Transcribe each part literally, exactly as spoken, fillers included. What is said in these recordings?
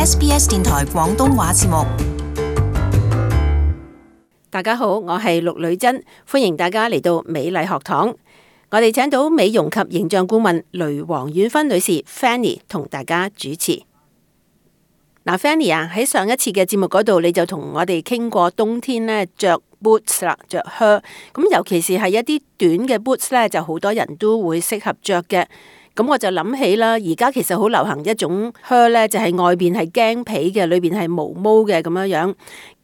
S B S 電台廣東話節目。大家好，我係陸女珍，歡迎大家嚟到美麗學堂。我哋請到美容及形象顧問雷黃婉芬女士 Fanny 同大家主持。嗱 Fanny 啊，喺上一次嘅節目嗰度，你就同我哋傾過冬天咧着 boots 啦，着靴。咁尤其是係一啲短嘅 boots 咧，就好多人都會適合着嘅。咁我就諗起啦，而家其實好流行一種靴咧，就係外邊係驚皮嘅，裏邊係毛毛嘅咁樣樣。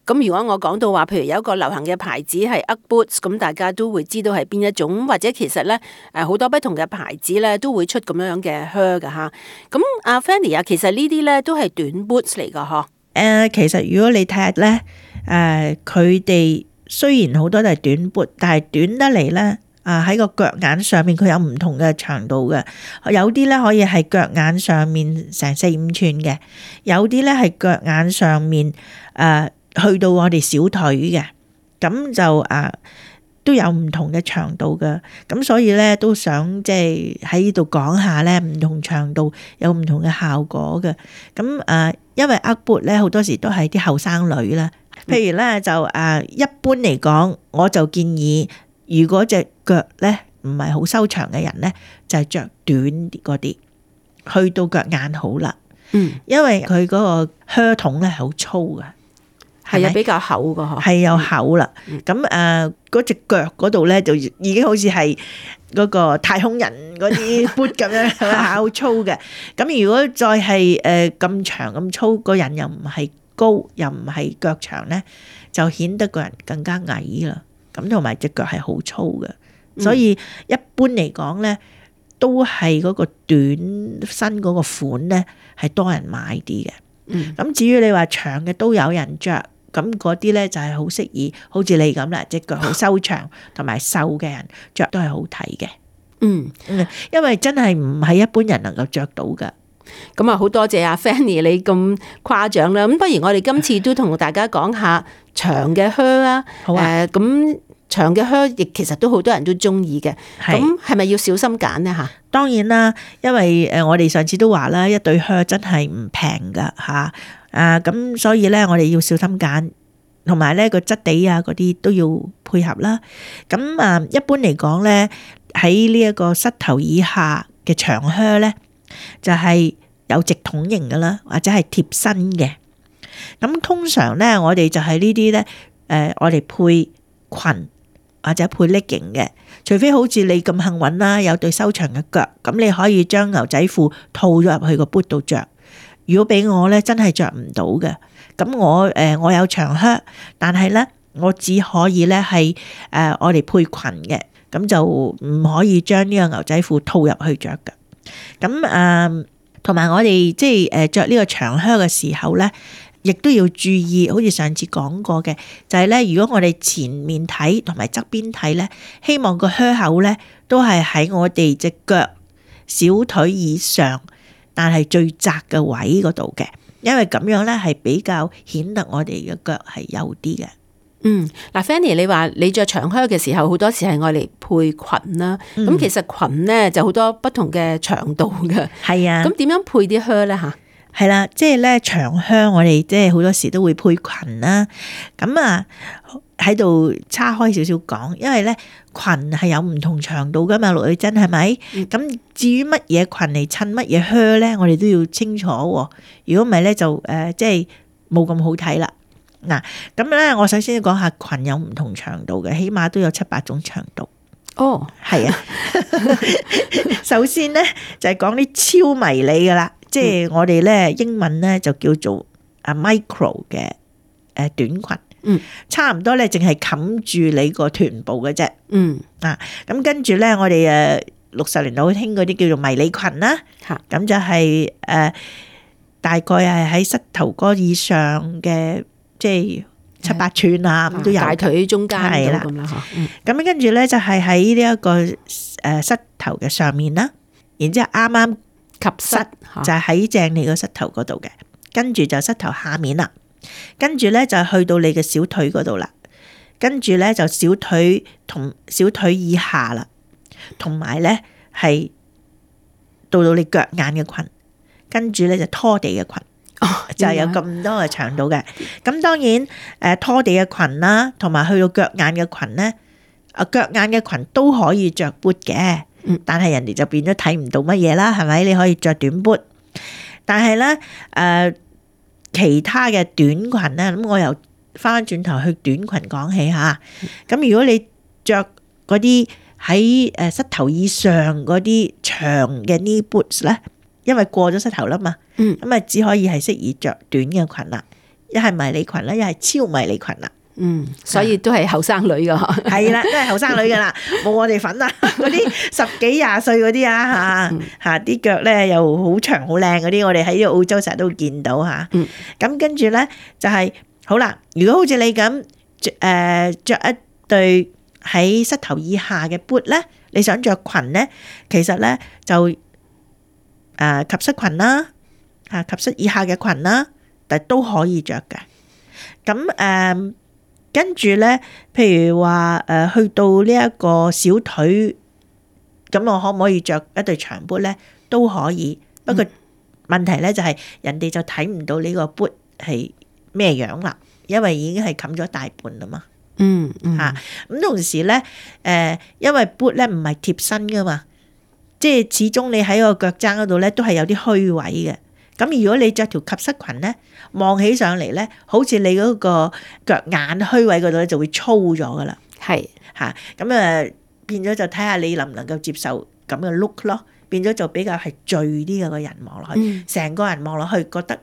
咁如果我講到話，譬如有一個流行嘅牌子係 Ugg Boots，咁大家都會知道係邊一種，或者其實咧誒好多不同嘅牌子咧都會出咁樣樣嘅靴噶吓。咁阿 Fanny 啊，其實呢啲咧都係短 boots 嚟噶嗬。誒、呃，其實如果你睇下咧，誒佢哋雖然好多都係短 boot，但係短得嚟咧。啊！喺個腳眼上面佢有唔同嘅長度嘅，有啲咧可以係腳眼上面成四五寸嘅，有啲咧係腳眼上面誒、呃、去到我哋小腿嘅，咁就啊、呃、都有唔同嘅長度嘅，咁所以咧都想即係喺呢度講下咧唔同長度有唔同嘅效果嘅，咁誒、呃、因為 Ugg boot 咧好多時都係啲後生女啦，譬如咧就誒、呃、一般嚟講，我就建議。如果隻腳咧唔係好修長嘅人咧，就係着短啲嗰啲，去到腳眼好啦。嗯，因為佢嗰個靴筒咧係好粗嘅，係啊，比較厚嘅嗬，係有厚啦。咁誒嗰隻腳嗰度咧就已經好似係嗰個太空人嗰啲 boot 咁樣，好粗嘅。咁如果再係誒咁長咁粗，個人又唔係高，又唔係腳長咧，就顯得個人更加矮啦。咁同埋隻腳係好粗嘅，所以一般嚟講咧，都係嗰個短身嗰個款咧係多人買啲嘅。咁、嗯、至於你話長嘅都有人着，咁嗰啲咧就係好適宜，好似你咁啦，隻腳好修長同埋瘦嘅人着都係好睇嘅。嗯，因為真係唔係一般人能夠着到噶。咁啊，好多謝阿 Fanny 你咁誇獎啦。咁不如我哋今次都同大家講下長嘅靴啊。好啊。誒，咁長嘅靴亦其實都好多人都中意嘅。咁係咪要小心揀呢？吓？當然啦，因為誒我哋上次都話啦，一對靴真係唔平噶吓。啊，咁所以咧我哋要小心揀，同埋咧個質地啊嗰啲都要配合啦。咁啊，一般嚟講咧，喺呢一個膝頭以下嘅長靴咧，就係有直筒型嘅啦，或者係貼身嘅。咁通常咧，我哋就係呢啲咧，誒，我哋配裙或者配 legging 嘅。除非好似你咁幸運啦，有對修長嘅腳，咁你可以將牛仔褲套咗入去個 boot 度着。如果俾我咧，真係着唔到嘅。咁我誒，我有長靴，但係咧，我只可以咧係誒，我哋配裙嘅，咁就唔可以將呢個牛仔褲套入去着嘅。咁誒，同埋我哋即係誒着呢個長靴嘅時候咧，亦都要注意，好似上次講過嘅，就係咧，如果我哋前面睇同埋側邊睇咧，希望個靴口咧都係喺我哋隻腳小腿以上，但係最窄嘅位嗰度嘅，因為咁樣咧係比較顯得我哋嘅腳係幼啲嘅。嗯，嗱 Fanny 你話你着長靴嘅時候，好多時係愛嚟配裙啦。咁、嗯、其實裙咧就好多不同嘅長度嘅。係啊。咁點樣配啲靴咧吓？係啦，即係咧長靴我哋即係好多時都會配裙啦。咁啊喺度叉開少少講，因為咧裙係有唔同長度噶嘛，陸女珍係咪？咁、嗯、至於乜嘢裙嚟襯乜嘢靴咧，我哋都要清楚。如果唔係咧就誒、呃、即係冇咁好睇啦。嗱，咁咧，我首先要講下裙有唔同長度嘅，起碼都有七八種長度。哦，係啊。首先咧就係講啲超迷你噶啦，即係我哋咧英文咧就叫做啊 micro 嘅誒短裙。嗯，差唔多咧，淨係冚住你個臀部嘅啫。嗯，啊，咁跟住咧，我哋誒六十年代好興嗰啲叫做迷你裙啦。嚇，咁就係、是、誒、呃、大概係喺膝頭哥以上嘅。即係七八寸啊，咁都有。大腿中間係啦，咁啦嚇。咁跟住咧就係喺呢一個誒膝頭嘅上面啦，然之後啱啱及膝就係喺正你個膝頭嗰度嘅，跟住就膝頭下面啦，跟住咧就去到你嘅小腿嗰度啦，跟住咧就小腿同小腿以下啦，同埋咧係到到你腳眼嘅裙，跟住咧就拖地嘅裙。哦，就係有咁多嘅長度嘅。咁當然誒拖地嘅裙啦，同埋去到腳眼嘅裙咧，啊腳眼嘅裙都可以着 boot 嘅，但係人哋就變咗睇唔到乜嘢啦，係咪？你可以着短 boot，但係咧誒其他嘅短裙咧，咁我又翻返轉頭去短裙講起嚇。咁如果你着嗰啲喺誒膝頭以上嗰啲長嘅 knee boots 咧，因為過咗膝頭啦嘛，咁啊只可以係適宜着短嘅裙啦，一係迷你裙啦，一係超迷你裙啦。嗯，所以都係後生女噶，係啦，都係後生女噶啦，冇我哋份啊，嗰啲十幾廿歲嗰啲啊嚇嚇啲腳咧又好長好靚嗰啲，我哋喺澳洲成日都會見到嚇。咁跟住咧就係、是、好啦，如果好似你咁誒著一對喺膝頭以下嘅 boot 咧，你想着裙咧，其實咧就誒、呃、及膝裙啦，嚇及膝以下嘅裙啦，但都可以着嘅。咁誒、呃、跟住咧，譬如話誒、呃、去到呢一個小腿，咁我可唔可以着一對長 boot 咧？都可以，不過問題咧就係、是、人哋就睇唔到呢個 boot 係咩樣啦，因為已經係冚咗大半啦嘛。嗯嗯嚇，咁同時咧，誒，因為 boot 咧唔係貼身噶嘛，即係始終你喺個腳踭嗰度咧都係有啲虛位嘅。咁如果你着條及膝裙咧，望起上嚟咧，好似你嗰個腳眼虛位嗰度咧就會粗咗噶啦。係嚇，咁啊變咗就睇下你能唔能夠接受咁嘅 look 咯，變咗就比較係墜啲嘅個人望落去，成、嗯、個人望落去覺得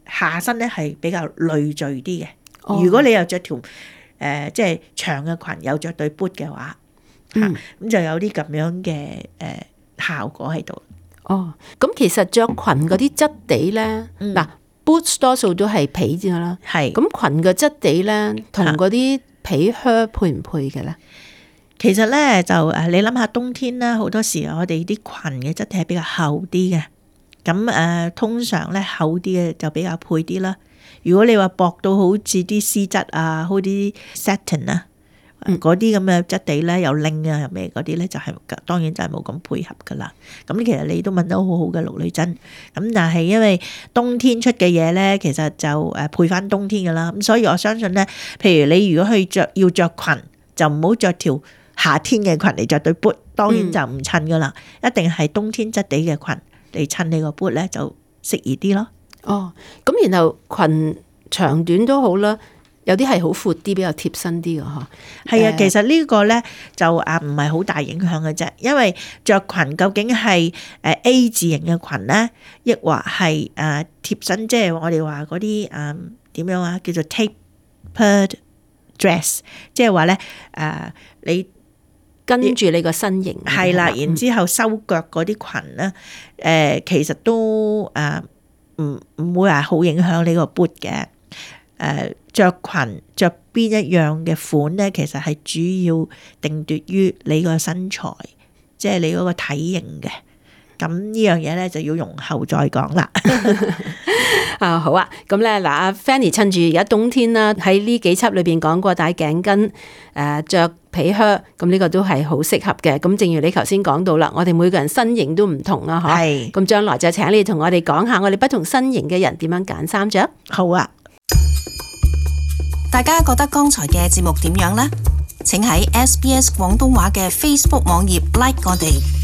下身咧係比較累贅啲嘅。哦、如果你又着條誒、呃，即係長嘅裙，有着對 boot 嘅話，嚇咁、嗯、就有啲咁樣嘅誒、呃、效果喺度。哦，咁其實着裙嗰啲質地咧，嗱、嗯、boots 多數都係皮啫啦，係咁裙嘅質地咧，同嗰啲皮靴配唔配嘅咧？其實咧就誒，你諗下冬天啦，好多時我哋啲裙嘅質地係比較厚啲嘅，咁誒、呃、通常咧厚啲嘅就比較配啲啦。如果你話薄到好似啲絲質啊，好啲 satin 啊，嗰啲咁嘅質地咧，又拎啊又咩嗰啲咧，就係、是、當然就係冇咁配合噶啦。咁其實你都問得好好嘅陸女真。咁但係因為冬天出嘅嘢咧，其實就誒配翻冬天噶啦。咁所以我相信咧，譬如你如果去着要着裙，就唔好着條夏天嘅裙嚟着對 boot，當然就唔襯噶啦，嗯、一定係冬天質地嘅裙嚟襯你個 boot 咧，就適宜啲咯。哦，咁然後裙長短都好啦，有啲係好闊啲，比較貼身啲嘅嗬。係啊，其實呢個咧就啊唔係好大影響嘅啫，因為着裙究竟係誒 A 字型嘅裙咧，抑或係誒貼身，即係我哋話嗰啲誒點樣啊，叫做 tapered dress， 即係話咧誒你跟住你個身形係啦，然之後收腳嗰啲裙咧，誒、呃、其實都誒。唔唔會係好影響呢個 boot 嘅，誒著裙着邊一樣嘅款咧，其實係主要定奪於你個身材，即係你嗰個體型嘅。咁呢樣嘢咧就要容後再講啦。啊好啊，咁咧嗱，阿 Fanny 趁住而家冬天啦，喺呢幾輯裏邊講過戴頸巾，誒著皮靴，咁呢個都係好適合嘅。咁正如你頭先講到啦，我哋每個人身形都唔同啊，嗬。係。咁將來就請你同我哋講下，我哋不同身形嘅人點樣揀衫着。好啊。大家覺得剛才嘅節目點樣呢？請喺 S B S 廣東話嘅 Facebook 網頁 like 我哋。